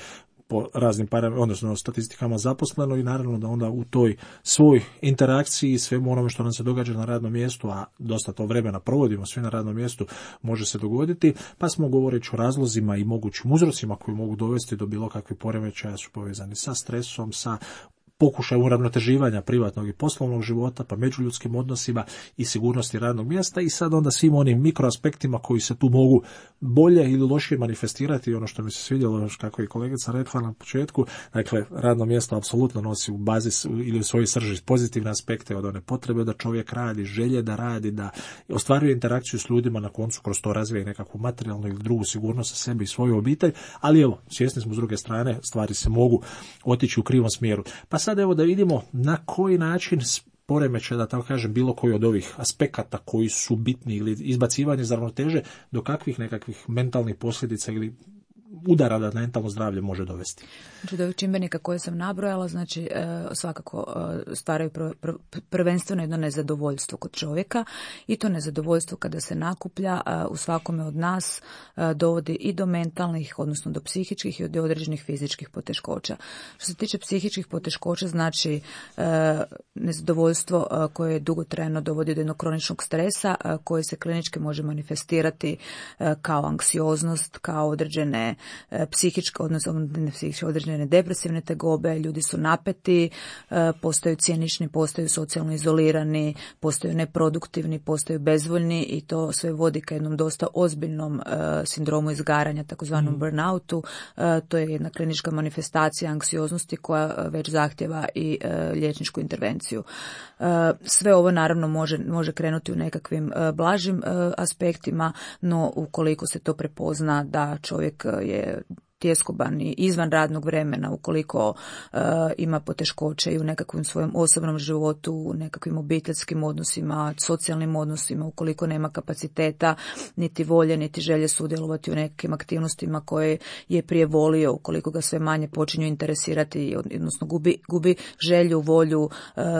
po raznim param, odnosno statistikama zaposleno i naravno da onda u toj svoj interakciji svemu onome što nam se događa na radnom mjestu, a dosta to vremena provodimo svi na radnom mjestu, može se dogoditi, pa smo govoreći o razlozima i mogućim uzrocima koji mogu dovesti do bilo kakvih poremećaja su povezani sa stresom, sa pokušaj uravnoteživanja privatnog i poslovnog života, pa međuljudskim odnosima i sigurnosti radnog mjesta i sad onda svim onim mikroaspektima koji se tu mogu bolje ili lošije manifestirati. Ono što mi se svidjelo, kako je kolegica rekla na početku, dakle, radno mjesto apsolutno nosi u bazi ili u svojoj srži pozitivne aspekte od one potrebe da čovjek radi, želje da radi, da ostvaruje interakciju s ljudima, na koncu kroz to razvija i nekakvu materijalnu ili drugu sigurnost sa sebi i svoju obitelj, ali evo, svjesni smo s druge strane, stvari se mogu otići u krivom smjeru. Pa sad evo da vidimo na koji način poremećaj, da tako kažem, bilo koji od ovih aspekata koji su bitni ili izbacivanje iz ravnoteže, do kakvih nekakvih mentalnih posljedica ili udara da mentalno zdravlje može dovesti. Znači, od ovih čimbenika koje sam nabrojala, znači svakako stvaraju prvenstveno jedno nezadovoljstvo kod čovjeka i to nezadovoljstvo kada se nakuplja u svakome od nas dovodi i do mentalnih, odnosno do psihičkih i do određenih fizičkih poteškoća. Što se tiče psihičkih poteškoća, znači nezadovoljstvo koje dugotrajno dovodi do jednog kroničnog stresa koje se klinički može manifestirati kao anksioznost, kao određene psihičke, odnosno ne psihičke, određene depresivne tegobe, ljudi su napeti, postaju cinični, postaju socijalno izolirani, postaju neproduktivni, postaju bezvoljni i to sve vodi ka jednom dosta ozbiljnom sindromu izgaranja, takozvanom mm. burnoutu. To je jedna klinička manifestacija anksioznosti koja već zahtjeva i liječničku intervenciju. Sve ovo naravno može, može krenuti u nekakvim blažim aspektima, no ukoliko se to prepozna da čovjek je tjeskoban i izvan radnog vremena, ukoliko uh, ima poteškoće i u nekakvom svojem osobnom životu, u nekakvim obiteljskim odnosima, socijalnim odnosima, ukoliko nema kapaciteta, niti volje, niti želje sudjelovati u nekim aktivnostima koje je prije volio, ukoliko ga sve manje počinju interesirati, odnosno gubi, gubi želju, volju uh,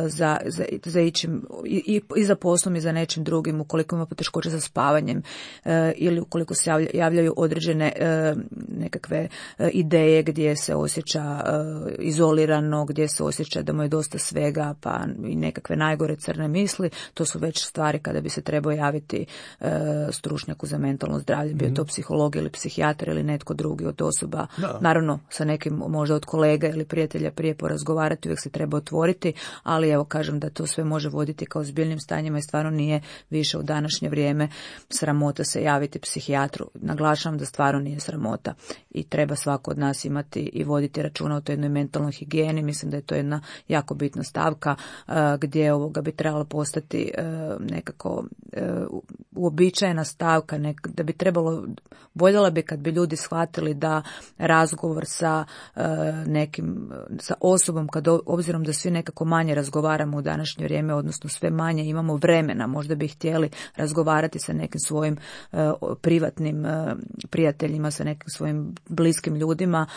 za, za, za ićim, i, i za poslom i za nečim drugim, ukoliko ima poteškoće sa spavanjem uh, ili ukoliko se javlja, javljaju određene uh, nekakve ideje gdje se osjeća uh, izolirano, gdje se osjeća da mu je dosta svega, pa i nekakve najgore crne misli, to su već stvari kada bi se trebao javiti uh, stručnjaku za mentalno zdravlje, bio to psiholog ili psihijatar ili netko drugi od osoba, da. Naravno sa nekim možda od kolega ili prijatelja prije porazgovarati, uvijek se treba otvoriti, ali evo kažem da to sve može voditi kao ozbiljnim stanjima i stvarno nije više u današnje vrijeme sramota se javiti psihijatru. Naglašavam da stvarno nije sramota i treba svako od nas imati i voditi računa o toj jednoj mentalnoj higijeni. Mislim da je to jedna jako bitna stavka uh, gdje ovoga bi trebalo postati uh, nekako uh, uobičajena stavka, nek, da bi trebalo, voljela bi kad bi ljudi shvatili da razgovor sa uh, nekim, sa osobom, kad obzirom da svi nekako manje razgovaramo u današnje vrijeme, odnosno sve manje imamo vremena, možda bi htjeli razgovarati sa nekim svojim uh, privatnim uh, prijateljima, sa nekim svojim bliskim ljudima,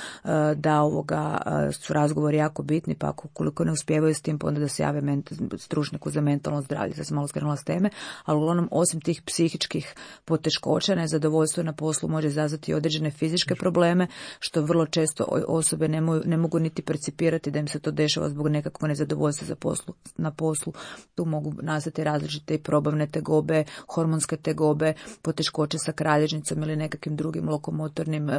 da ovoga su razgovori jako bitni, pa ukoliko ne uspijevaju s tim, pa onda da se jave ment, stručnjaku za mentalno zdravlje. Sad sam malo skrenula s teme, ali uglavnom osim tih psihičkih poteškoća, nezadovoljstvo na poslu može izazvati određene fizičke probleme, što vrlo često osobe ne, mo, ne mogu niti percipirati da im se to dešava zbog nekakvog nezadovoljstva za poslu, na poslu. Tu mogu nastati različite i probavne tegobe, hormonske tegobe, poteškoće sa kralježnicom ili nekakvim drugim lokomotornim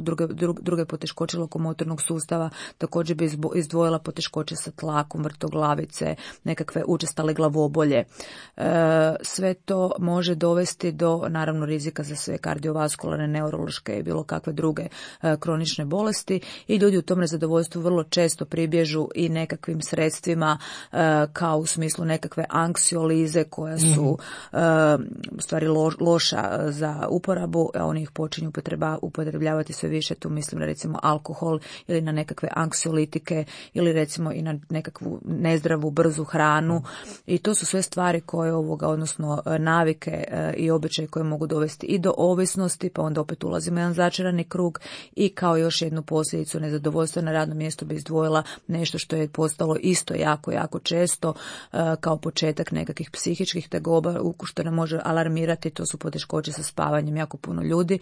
Druge, druge poteškoće lokomotornog sustava, također bi izdvojila poteškoće sa tlakom, vrtoglavice, nekakve učestale glavobolje. E, sve to može dovesti do, naravno, rizika za sve kardiovaskularne, neurološke i bilo kakve druge e, kronične bolesti i ljudi u tom nezadovoljstvu vrlo često pribježu i nekakvim sredstvima e, kao u smislu nekakve anksiolize koja su e, u stvari lo, loša za uporabu, a oni ih počinju upotreba, upotrebljavati sve više, tu mislim na recimo alkohol ili na nekakve anksiolitike ili recimo i na nekakvu nezdravu, brzu hranu i to su sve stvari koje ovoga, odnosno navike i običaje koje mogu dovesti i do ovisnosti, pa onda opet ulazimo u jedan začarani krug i kao još jednu posljedicu nezadovoljstva na radnom mjestu bi izdvojila nešto što je postalo isto jako, jako često kao početak nekakvih psihičkih tegoba što nam može alarmirati, to su poteškoće sa spavanjem. Jako puno ljudi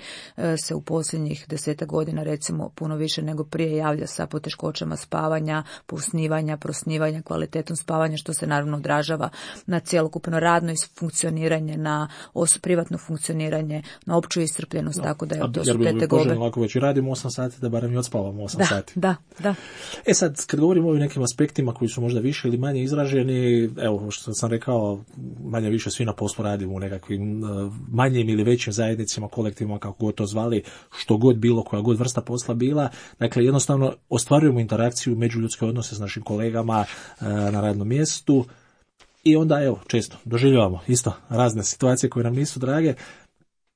se u posljednjih desetak godina recimo puno više nego prije javlja sa poteškoćama spavanja, posnivanja, prosnivanja, kvalitetom spavanja, što se naravno odražava na cjelokupno radno funkcioniranje, na os- privatno funkcioniranje, na opću iscrpljenost, no, tako da je, to su te tegobe. Jer bi ovako već radimo osam sati da barem i odspavamo osam da, sati. Da, da. E sad, kad govorimo o nekim aspektima koji su možda više ili manje izraženi, evo što sam rekao, manje više svi na poslu radimo u nekakvim uh, manjim ili većim zajednicama, kolektivima, kako god to zvali, što god bilo, koja god vrsta posla bila. Dakle, jednostavno ostvarujemo interakciju, međuljudske odnose s našim kolegama uh, na radnom mjestu i onda, evo, često doživljavamo isto razne situacije koje nam nisu drage.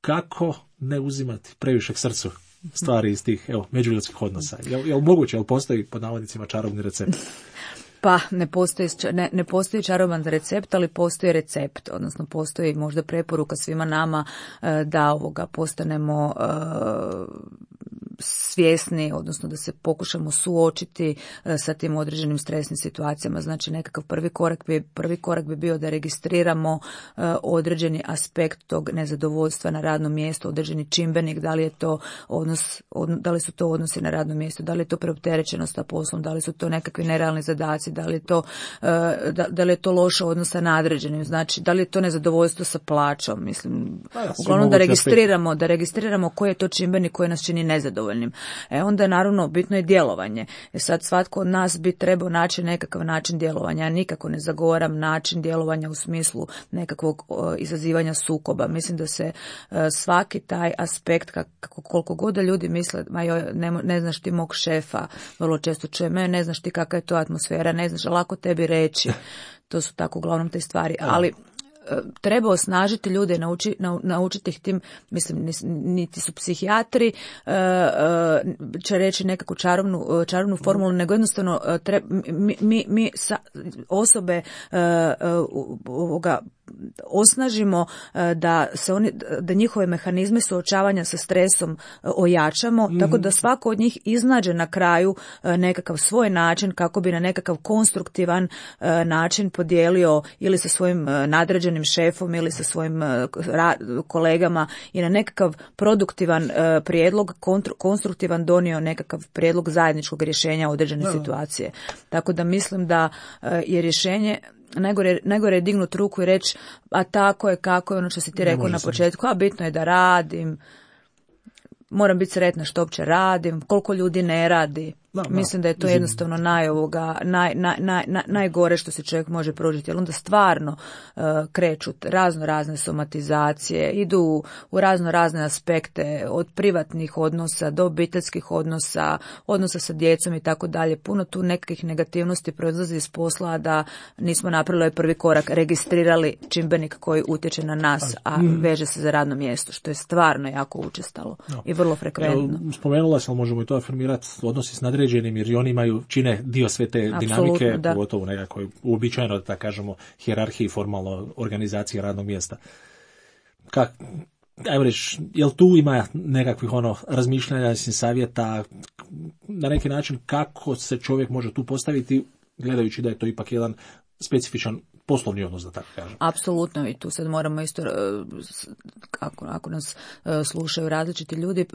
Kako ne uzimati previše k srcu stvari iz tih, evo, međuljudskih odnosa? Jel, jel moguće, jel postoji pod navodnicima čarobni recept? Pa ne postoji, ne, ne postoji čaroban recept, ali postoji recept, odnosno postoji možda preporuka svima nama da ovoga postanemo svjesni, odnosno da se pokušamo suočiti sa tim određenim stresnim situacijama. Znači nekakav prvi korak bi, prvi korak bi bio da registriramo određeni aspekt tog nezadovoljstva na radnom mjestu, određeni čimbenik, da li je to odnos, da li su to odnosi na radnom mjestu, da li je to preopterećenost sa poslom, da li su to nekakvi nerealni zadaci, da li je to, da, da li je to loša odnos sa nadređenim, znači da li je to nezadovoljstvo sa plaćom, mislim, da, uglavnom da registriramo, da registriramo koji je to čimbenik koji nas čini nezadovoljnim. E onda naravno bitno je djelovanje. E sad svatko od nas bi trebao naći nekakav način djelovanja. Ja nikako ne zagovaram način djelovanja u smislu nekakvog o, izazivanja sukoba. Mislim da se e, svaki taj aspekt, kako, koliko god da ljudi misle, ma joj, ne, ne znaš ti mog šefa, vrlo često čuje me, ne znaš ti kakva je to atmosfera, ne znaš, lako tebi reći. To su tako uglavnom te stvari, ali treba osnažiti ljude, nauči, naučiti ih tim, mislim, niti su psihijatri, će reći nekakvu čarobnu, čarobnu formulu, nego jednostavno treba, mi, mi, mi sa, osobe ovoga osnažimo da se oni, da njihove mehanizme suočavanja sa stresom ojačamo, mm. tako da svako od njih iznađe na kraju nekakav svoj način kako bi na nekakav konstruktivan način podijelio ili sa svojim nadređenim šefom ili sa svojim kolegama i na nekakav produktivan prijedlog, konstruktivan donio nekakav prijedlog zajedničkog rješenja određene no. situacije. Tako da mislim da je rješenje Najgore, najgore je dignut ruku i reći, a tako je, kako je ono što si ti rekao na početku, a bitno je da radim, moram biti sretna što uopće radim, koliko ljudi ne radi. No, no, Mislim da je to jednostavno naj, ovoga, naj, naj, naj, naj, najgore što se čovjek može prožiti, jer onda stvarno uh, kreću razno razne somatizacije, idu u, u razno razne aspekte, od privatnih odnosa do obiteljskih odnosa, odnosa sa djecom i tako dalje. Puno tu nekakvih negativnosti proizlazi iz posla da nismo napravili ovaj prvi korak, registrirali čimbenik koji utječe na nas, a veže se za radno mjesto, što je stvarno jako učestalo no. i vrlo frekventno. Evo, spomenula sam, možemo i to afirmirati, odnosi s nadređenim, jer oni imaju, čine dio sve te Apsolutno, dinamike, da. pogotovo u nekakvoj uobičajeno, da tako kažemo, hijerarhiji, formalno organizacije radnog mjesta. Kak, ajmo reći, jel tu ima nekakvih ono razmišljanja, savjeta, na neki način kako se čovjek može tu postaviti, gledajući da je to ipak jedan specifičan poslovni odnos, da tako kažem. Apsolutno, i tu sad moramo isto, ako, ako nas slušaju različiti ljudi,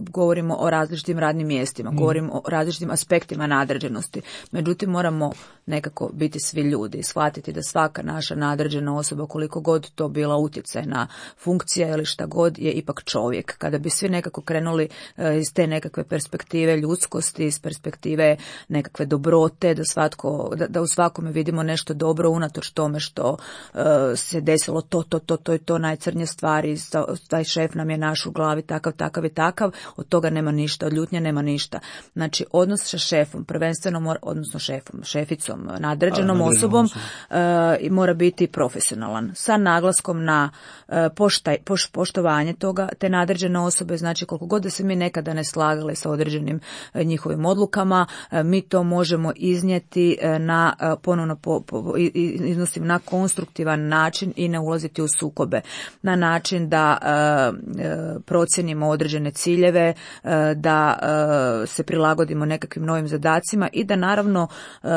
govorimo o različitim radnim mjestima, mm. govorimo o različitim aspektima nadređenosti. Međutim, moramo nekako biti svi ljudi, shvatiti da svaka naša nadređena osoba, koliko god to bila utjecajna funkcija ili šta god, je ipak čovjek. Kada bi svi nekako krenuli iz te nekakve perspektive ljudskosti, iz perspektive nekakve dobrote, da, svatko, da, da u svakome vidimo nešto dobro, dobro unatoč tome što uh, se desilo to, to, to, to i to najcrnje stvari, taj šef nam je naš u glavi takav, takav i takav, od toga nema ništa, od ljutnje nema ništa. Znači, odnos sa šefom, prvenstveno mora, odnosno šefom, šeficom, nadređenom A, osobom, uh, mora biti profesionalan, sa naglaskom na uh, poštaj, poš, poštovanje toga, te nadređene osobe, znači koliko god da se mi nekada ne slagali sa određenim uh, njihovim odlukama, uh, mi to možemo iznijeti uh, na uh, ponovno po, po, iznosim na konstruktivan način i ne ulaziti u sukobe, na način da uh, uh, procijenimo određene ciljeve, uh, da uh, se prilagodimo nekakvim novim zadacima i da naravno uh,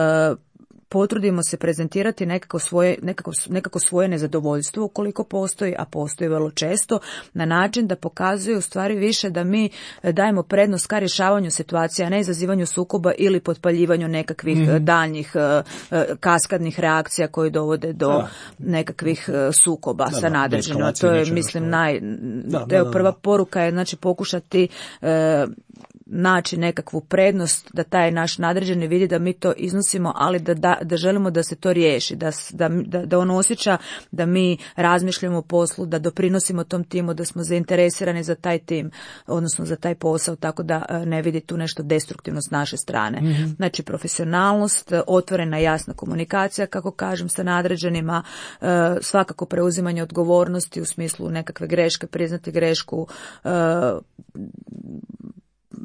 potrudimo se prezentirati nekako svoje, nekako, nekako svoje nezadovoljstvo ukoliko postoji, a postoji vrlo često, na način da pokazuje u stvari više da mi dajemo prednost ka rješavanju situacija, a ne izazivanju sukoba ili potpaljivanju nekakvih mm-hmm. daljnjih uh, kaskadnih reakcija koji dovode do da. nekakvih uh, sukoba da, sa nadređenima. To je, mislim, naj... Da, da, da, prva poruka je, znači, pokušati uh, naći nekakvu prednost, da taj naš nadređeni vidi da mi to iznosimo, ali da, da, da želimo da se to riješi, da, da, da on osjeća da mi razmišljamo o poslu, da doprinosimo tom timu, da smo zainteresirani za taj tim, odnosno za taj posao, tako da ne vidi tu nešto destruktivno s naše strane. Mm-hmm. Znači, profesionalnost, otvorena jasna komunikacija, kako kažem, sa nadređenima, svakako preuzimanje odgovornosti u smislu nekakve greške, priznati grešku,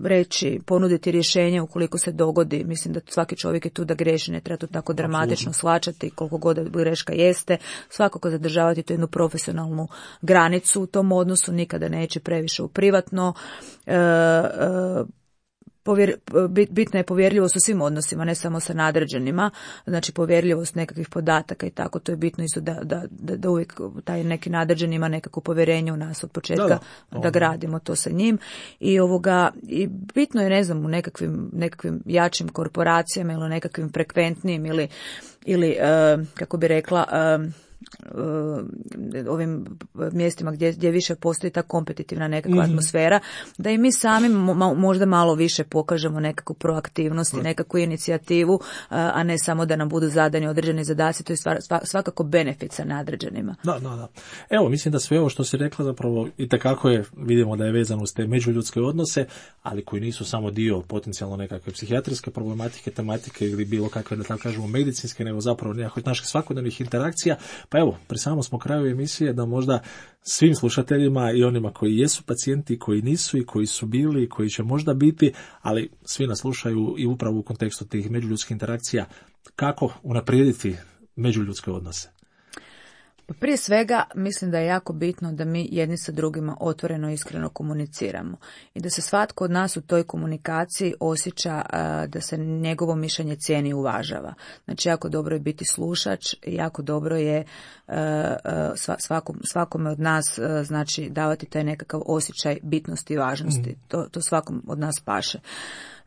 reći, ponuditi rješenje ukoliko se dogodi. Mislim da svaki čovjek je tu da greši, ne treba to tako dramatično Absolutno. shvaćati koliko god greška jeste. Svakako zadržavati tu jednu profesionalnu granicu u tom odnosu, nikada neće previše u privatno. E, e, Povjer, bitna je povjerljivost u svim odnosima, ne samo sa nadređenima, znači povjerljivost nekakvih podataka i tako, to je bitno isto da, da, da, da uvijek taj neki nadređen ima nekako povjerenje u nas od početka, da, da, da gradimo to sa njim. I ovoga, i bitno je, ne znam, u nekakvim, nekakvim jačim korporacijama ili nekakvim frekventnim ili, ili uh, kako bi rekla, uh, ovim mjestima gdje, gdje više postoji ta kompetitivna nekakva mm-hmm. atmosfera, da i mi sami mo, možda malo više pokažemo nekakvu proaktivnost i nekakvu inicijativu, a ne samo da nam budu zadani određeni zadaci, to je svakako benefit sa nadređenima. Da, da, da. Evo, mislim da sve ovo što si rekla zapravo itekako je, vidimo da je vezano uz te međuljudske odnose, ali koji nisu samo dio potencijalno nekakve psihijatrijske problematike, tematike ili bilo kakve, da tako kažemo, medicinske, nego zapravo nekakvih naših svakodnevnih interakcija. Pa evo, pri samom smo kraju emisije da možda svim slušateljima i onima koji jesu pacijenti, koji nisu i koji su bili i koji će možda biti, ali svi nas slušaju i upravo u kontekstu tih međuljudskih interakcija, kako unaprijediti međuljudske odnose. Prije svega mislim da je jako bitno da mi jedni sa drugima otvoreno i iskreno komuniciramo i da se svatko od nas u toj komunikaciji osjeća uh, da se njegovo mišljenje cijeni i uvažava. Znači, jako dobro je biti slušač, jako dobro je uh, uh, svakom, svakome od nas uh, znači davati taj nekakav osjećaj bitnosti i važnosti. Mm. To, to svakom od nas paše.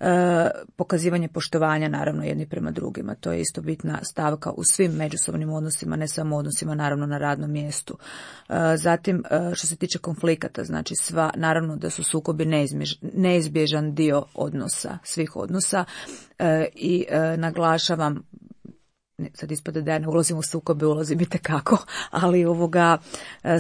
E, pokazivanje poštovanja naravno jedni prema drugima, to je isto bitna stavka u svim međusobnim odnosima, ne samo odnosima naravno na radnom mjestu. E, zatim e, što se tiče konflikata, znači sva, naravno da su sukobi neizbjež, neizbježan dio odnosa, svih odnosa e, i e, naglašavam, sad ispada da ja ne ulazim u sukobe, ulazim itekako, ali ovoga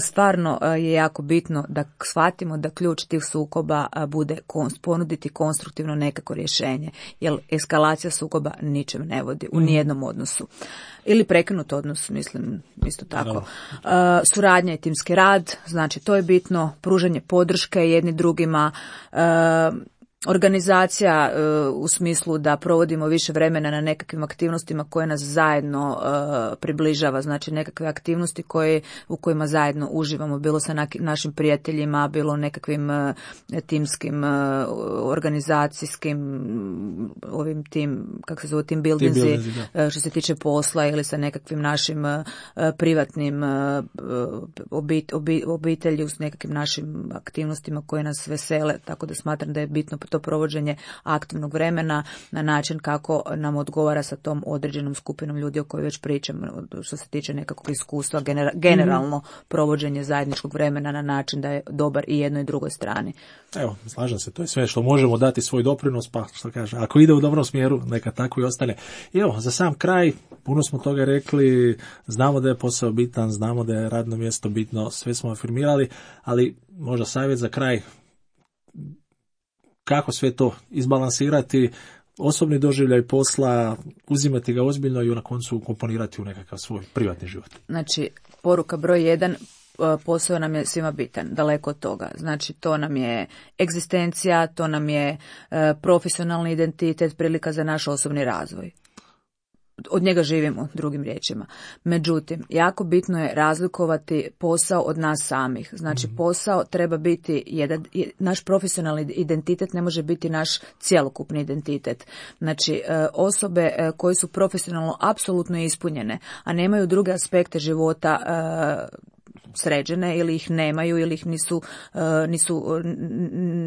stvarno je jako bitno da shvatimo da ključ tih sukoba bude ponuditi konstruktivno nekako rješenje, jer eskalacija sukoba ničem ne vodi u nijednom odnosu. Ili prekinut odnos, mislim, isto tako. Uh, suradnja i timski rad, znači to je bitno, pružanje podrške jedni drugima, uh, organizacija uh, u smislu da provodimo više vremena na nekakvim aktivnostima koje nas zajedno uh, približava, znači nekakve aktivnosti koje, u kojima zajedno uživamo, bilo sa na, našim prijateljima, bilo nekakvim uh, timskim, uh, organizacijskim, ovim tim, kako se zove, tim buildingsi, uh, što se tiče posla ili sa nekakvim našim uh, privatnim uh, obit, obit, obitelji s nekakvim našim aktivnostima koje nas vesele, tako da smatram da je bitno to to provođenje aktivnog vremena na način kako nam odgovara sa tom određenom skupinom ljudi o kojoj već pričam, što se tiče nekakvog iskustva, genera- generalno provođenje zajedničkog vremena na način da je dobar i jednoj i drugoj strani. Evo, slažem se, to je sve što možemo dati svoj doprinos, pa što kaže, ako ide u dobrom smjeru, neka tako i ostane. I evo, za sam kraj, puno smo toga rekli, znamo da je posao bitan, znamo da je radno mjesto bitno, sve smo afirmirali, ali možda savjet za kraj, kako sve to izbalansirati, osobni doživljaj posla, uzimati ga ozbiljno i na koncu komponirati u nekakav svoj privatni život. Znači, poruka broj jedan, posao nam je svima bitan, daleko od toga. Znači, to nam je egzistencija, to nam je e, profesionalni identitet, prilika za naš osobni razvoj. Od njega živimo, drugim riječima. Međutim, jako bitno je razlikovati posao od nas samih. Znači, posao treba biti jedan, naš profesionalni identitet ne može biti naš cjelokupni identitet. Znači, osobe koje su profesionalno apsolutno ispunjene, a nemaju druge aspekte života sređene ili ih nemaju ili ih nisu, nisu,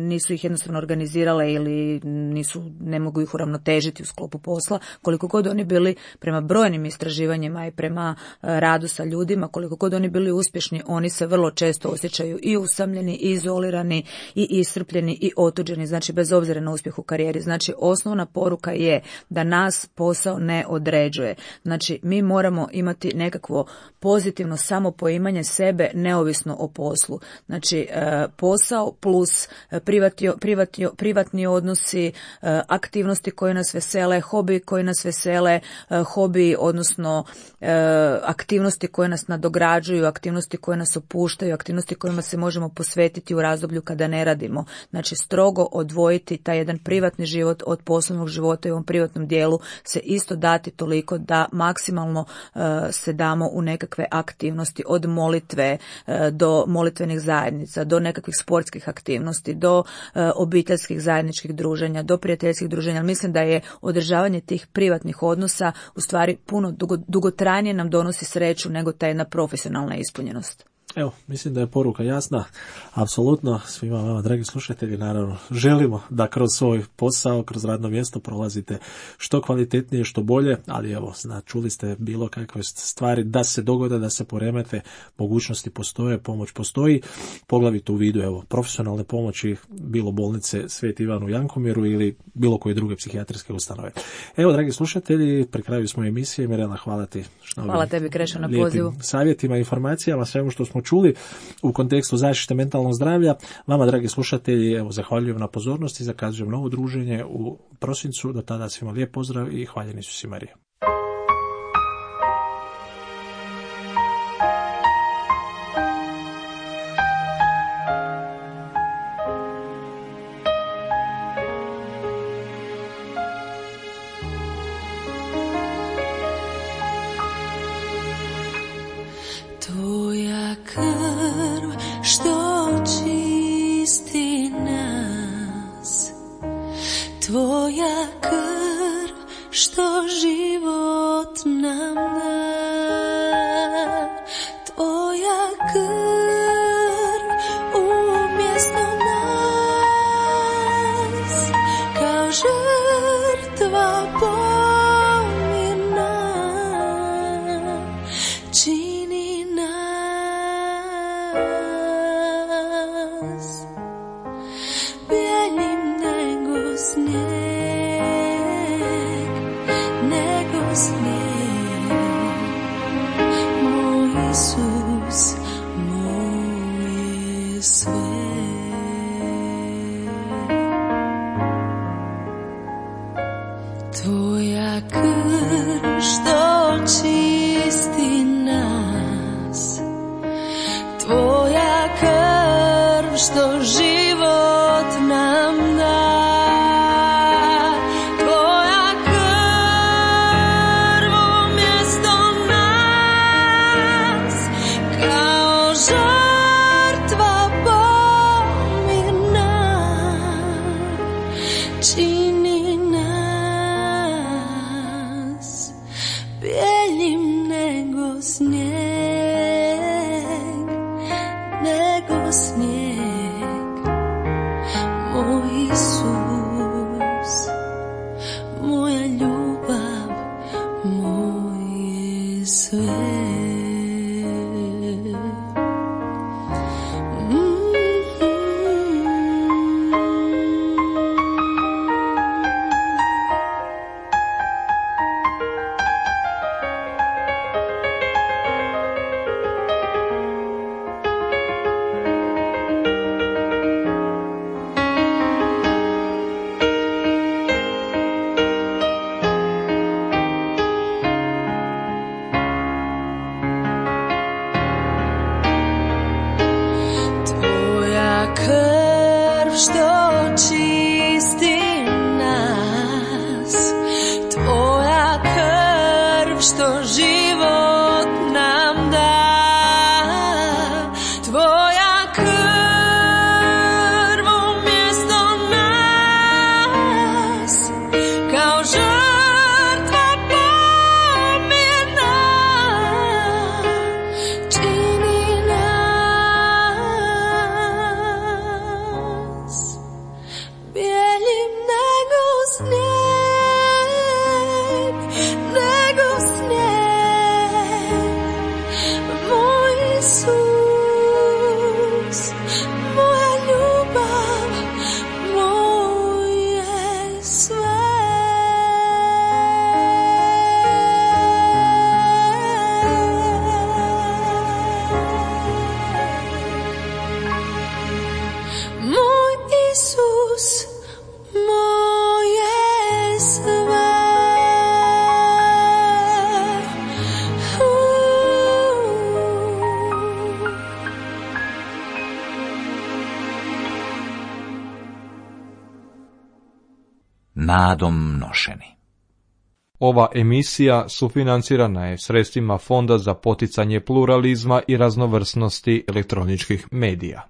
nisu ih jednostavno organizirale ili nisu, ne mogu ih uravnotežiti u sklopu posla, koliko god oni bili prema brojnim istraživanjima i prema radu sa ljudima, koliko god oni bili uspješni, oni se vrlo često osjećaju i usamljeni, i izolirani, i iscrpljeni, i otuđeni, znači bez obzira na uspjeh u karijeri. Znači, osnovna poruka je da nas posao ne određuje. Znači, mi moramo imati nekakvo pozitivno samopoimanje sebe neovisno o poslu. Znači, posao plus privatni, privatni, privatni odnosi, aktivnosti koje nas vesele, hobi koji nas vesele, hobi, odnosno aktivnosti koje nas nadograđuju, aktivnosti koje nas opuštaju, aktivnosti kojima se možemo posvetiti u razdoblju kada ne radimo. Znači, strogo odvojiti taj jedan privatni život od poslovnog života i u ovom privatnom dijelu se isto dati toliko da maksimalno se damo u nekakve aktivnosti od molitve do molitvenih zajednica, do nekakvih sportskih aktivnosti, do obiteljskih zajedničkih druženja, do prijateljskih druženja. Mislim da je održavanje tih privatnih odnosa u stvari puno dugo, dugotrajnije nam donosi sreću nego ta jedna profesionalna ispunjenost. Evo, mislim da je poruka jasna, apsolutno svima vama, dragi slušatelji, naravno želimo da kroz svoj posao, kroz radno mjesto prolazite što kvalitetnije, što bolje, ali evo, zna, čuli ste bilo kakve stvari da se dogode, da se poremete, mogućnosti postoje, pomoć postoji, poglavito u vidu, evo, profesionalne pomoći, bilo bolnice Sveti Ivan u Jankomiru ili bilo koje druge psihijatrijske ustanove. Evo, dragi slušatelji, pri kraju smo emisije, Mirjana, hvala ti. Hvala tebi, Krešo, na pozivu. Savjetima, informacijama, svemu što smo čuli u kontekstu zaštite mentalnog zdravlja. Vama, dragi slušatelji, evo, zahvaljujem na pozornosti, zakazujem novo druženje u prosincu. Do tada svima lijep pozdrav i hvaljeni su si Marija. Tvoja krv što čisti nas, tvoja krv što život nam da, tvoja krv umjesto nas kao žrtva pomirna čini nas bijeljim nego snijeg, nego snijeg. Moj Isus, moj je sve. Tvoja krv što čisti nas, tvoja krv što život nam da, tvoja krv umjesto nas kao žrtva pomirna čini nas bijeljim nego snijeg, nego snijeg. Moj Isus, krv što čisti nas, tvoja krv što život nam da, tvoja krv umjesto nas, kao žrtva pomjerna, čini nas bijeljim nego snijeg, nego snijeg. Moj Isus, moja ljubav, moje sve. Moj Isus, moje sve. Nadom nošeni. Ova emisija sufinancirana je sredstvima Fonda za poticanje pluralizma i raznovrsnosti elektroničkih medija.